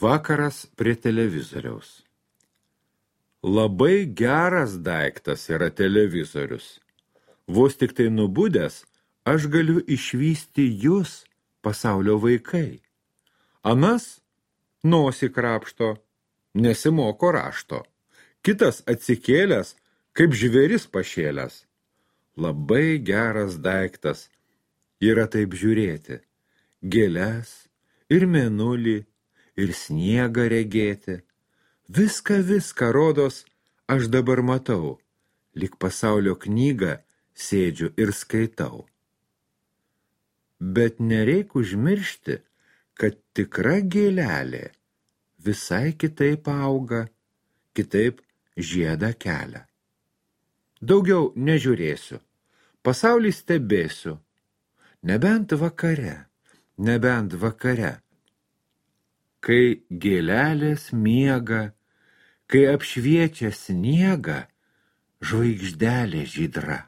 Vakaras prie televizoriaus. Labai geras daiktas yra televizorius. Vos tik tai nubudęs, aš galiu išvysti jūs, pasaulio vaikai. Anas nosį krapšto, nesimoko rašto. Kitas atsikėlęs, kaip žvėris pašėlęs. Labai geras daiktas yra taip žiūrėti. Gėles ir mėnulį, ir sniegą regėti. Viską rodos aš dabar matau, lyg pasaulio knygą sėdžiu ir skaitau. Bet nereik užmiršti, kad tikra gėlelė visai kitaip auga, kitaip žiedą kelia. Daugiau nežiūrėsiu, pasaulį stebėsiu, nebent vakare. Kai gėlelės miega, kai apšviečia sniegą, žvaigždelė žydra.